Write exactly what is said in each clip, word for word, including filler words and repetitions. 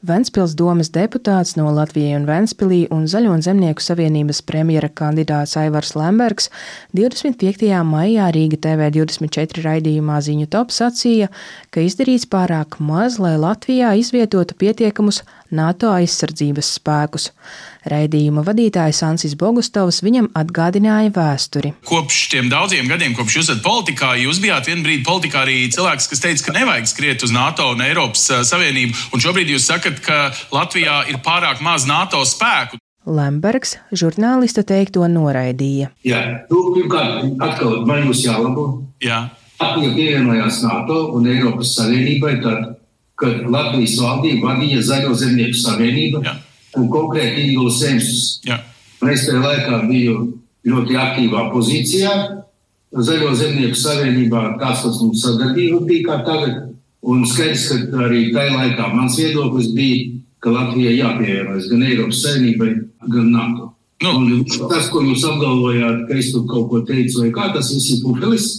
Ventspils domes deputāts no Latvijai un Ventspilī un Zaļo un Zemnieku savienības premjera kandidāts Aivars Lembergs divdesmit piektajā maijā Rīga T V divdesmit četri raidījumā Ziņu top sacīja, ka izdarīts pārāk maz, lai Latvijā izvietotu pietiekamus NATO aizsardzības spēkus. Raidījuma vadītājs Ansis Bogustovs viņam atgādināja vēsturi. Kopš tiem daudziem gadiem, kopš jūs esat politikā, jūs bijāt vienu brīdi politikā arī cilvēks, kas teica, ka nevajag skriet uz NATO un Eiropas Savienību, un šobrīd jūs sakat, ka Latvijā ir pārāk maz NATO spēku. Lembergs žurnālista teikto noraidīja. Jā, tu pirmkārt atkal man jūs jālabo. Jā. Latvija pievienojās NATO un Eiropas Savienībai tad, kad Latvijas valdība vadīja Zaļo Zemnieku savienību. Jā. Un konkrēti Ingūlas Semsus. Es tajā laikā biju ļoti aktīvā pozīcijā. Zaļo Zemnieku savienībā tās, kas mums sadarbība bija kā tagad. Un skaidrs, ka arī tajā laikā mans viedoklis bija, ka Latvijai jāpievienojas gan Eiropas Savienībai, gan NATO. Nu. Un tas, ko jūs apgalvojāt, ka es tur kaut ko teicu, vai kā tas viss ir pupelis,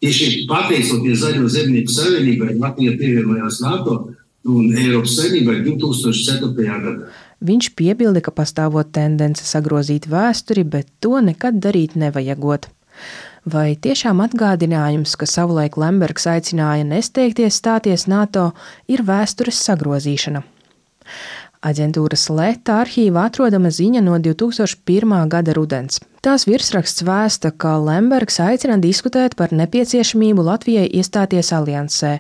tieši pateicoties Zaļo Zemnieku savienībai, Latvija pievienojās NATO un Eiropas Savienībai divi tūkstoši ceturtajā gadā. Viņš piebilda, ka pastāvot tendence sagrozīt vēsturi, bet to nekad darīt nevajagot. Vai tiešām atgādinājums, ka savulaik Lembergs aicināja nesteigties stāties NATO, ir vēstures sagrozīšana? Aģentūras Leta arhīvā atrodama ziņa no divi tūkstoši pirmā gada rudens. Tās virsraksts vēsta, ka Lembergs aicina diskutēt par nepieciešamību Latvijai iestāties aliansē.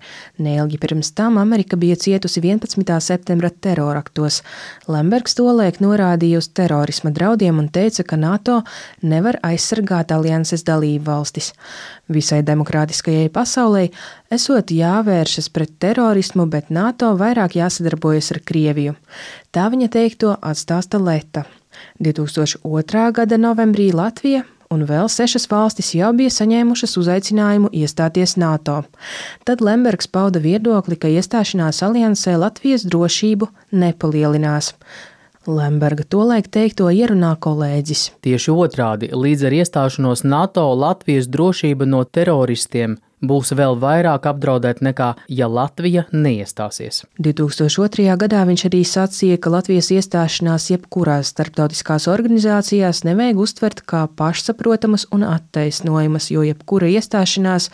Neilgi pirms tam Amerika bija cietusi vienpadsmitā septembra teroraktos. Lembergs tolaik norādīja uz terorisma draudiem un teica, ka NATO nevar aizsargāt alianses dalību valstis. Visai demokrātiskajai pasaulē esot jāvēršas pret terorismu, bet NATO vairāk jāsadarbojas ar Krieviju. Tā viņa teikto atstāsta Leta. divi tūkstoši otrā gada novembrī Latvija un vēl sešas valstis jau bija saņēmušas uzaicinājumu iestāties NATO. Tad Lembergs pauda viedokli, ka iestāšanās aliansē Latvijas drošību nepalielinās. Lemberga tolaik teikto ierunā kolēģis. Tieši otrādi, līdz ar iestāšanos NATO Latvijas drošība no teroristiem būs vēl vairāk apdraudēta nekā, ja Latvija neiestāsies. divi tūkstoši otrajā gadā viņš arī sacīja, ka Latvijas iestāšanās jebkurās starptautiskās organizācijās nevajag uztvert kā pašsaprotamas un attaisnojamas, jo jebkura iestāšanās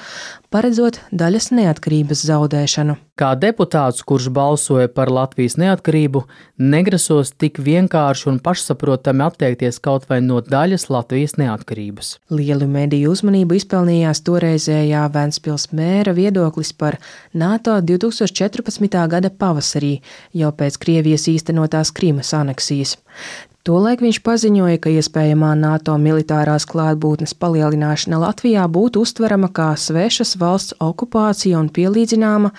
paredzot daļas neatkarības zaudēšanu. Kā deputāts, kurš balsoja par Latvijas neatkarību, negrasos tik vienkārši un pašsaprotami atteikties kaut vai no daļas Latvijas neatkarības. Lielu mediju uzmanību izpelnījās toreizējā Ventspils mēra viedoklis par NATO divi tūkstoši četrpadsmitā gada pavasarī, jau pēc Krievijas īstenotās Krimas aneksijas. Tolaik viņš paziņoja, ka iespējamā NATO militārās klātbūtnes palielināšana Latvijā būtu uztverama kā svešas valsts okupācija un pielīdzināma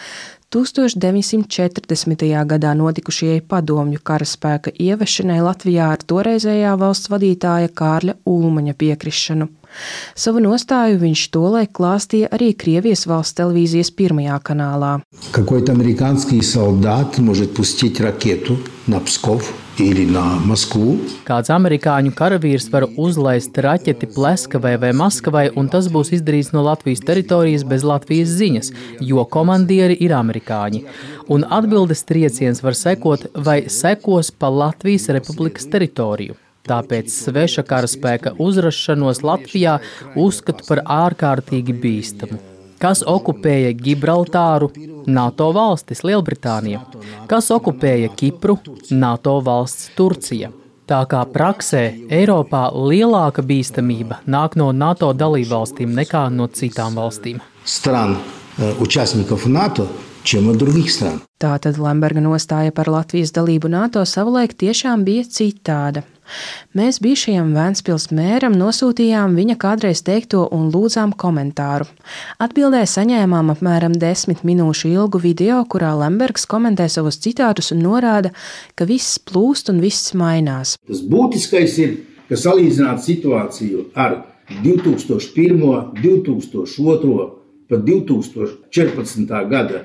tūkstoš deviņsimt četrdesmitajā gadā notikušajai padomju karaspēka ievešanai Latvijā ar toreizējā valsts vadītāja Kārļa Ulmaņa piekrišanu. Savu nostāju viņš tolaik klāstīja arī Krievijas valsts televīzijas pirmajā kanālā. Какой-то американский солдат может пустить ракету на Псков или на Москву. Kāds amerikāņu karavīrs var uzlaist raķeti Pleskavai vai Maskavai, un tas būs izdarīts no Latvijas teritorijas bez Latvijas ziņas, jo komandieri ir amerikāņi. Un atbildes trieciens var sekot vai sekos pa Latvijas republikas teritoriju. Tāpēc sveša karaspēka uzrašanos Latvijā uzskatu par ārkārtīgi bīstamu. Kas okupēja Gibraltāru? NATO valstis Lielbritānija. Kas okupēja Kipru? NATO valsts Turcija. Tā kā praksē Eiropā lielāka bīstamība nāk no NATO dalībvalstīm nekā no citām valstīm. Strān, участников НАТО, чем от других стран. Tātad Lemberga nostāja par Latvijas dalību NATO savulaik tiešām bija citāda. Mēs bijušajam Ventspils mēram nosūtījām viņa kādreiz teikto un lūdzām komentāru. Atbildē saņēmām apmēram desmit minūšu ilgu video, kurā Lembergs komentē savus citātus un norāda, ka viss plūst un viss mainās. Tas būtiskais ir, ka salīdzināt situāciju ar divi tūkstoši pirmo, divi tūkstoši otro, pat divi tūkstoši četrpadsmitā gada,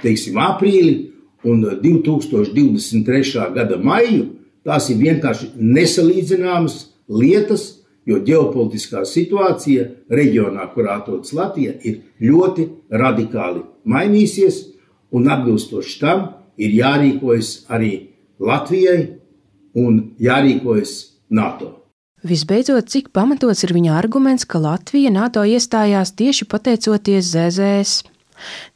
teiksim, aprīli un divi tūkstoši divdesmit trešā gada maiju, tās ir vienkārši nesalīdzināmas lietas, jo ģeopolitiskā situācija reģionā, kurā atrodas Latvija, ir ļoti radikāli mainīsies un atbilstoši tam ir jārīkojas arī Latvijai un jārīkojas NATO. Visbeidzot, cik pamatots ir viņa arguments, ka Latvija NATO iestājās tieši pateicoties Z Z S.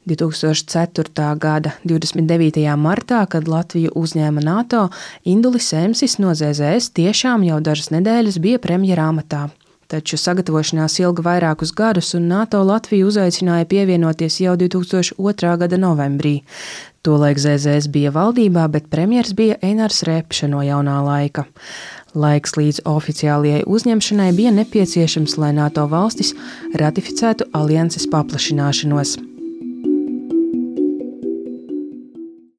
divs tūkstoš ceturtā gada divdesmit devītajā martā, kad Latviju uzņēma NATO, Indulis Emsis no Z Z S tiešām jau dažas nedēļas bija premjera amatā. Taču sagatavošanās ilga vairākus gadus, un NATO Latviju uzaicināja pievienoties jau divs tūkstoš otrā gada novembrī. Tolaik Z Z S bija valdībā, bet premjers bija Einars Repše no Jaunā laika. Laiks līdz oficiālajai uzņemšanai bija nepieciešams, lai NATO valstis ratificētu alianses paplašināšanos.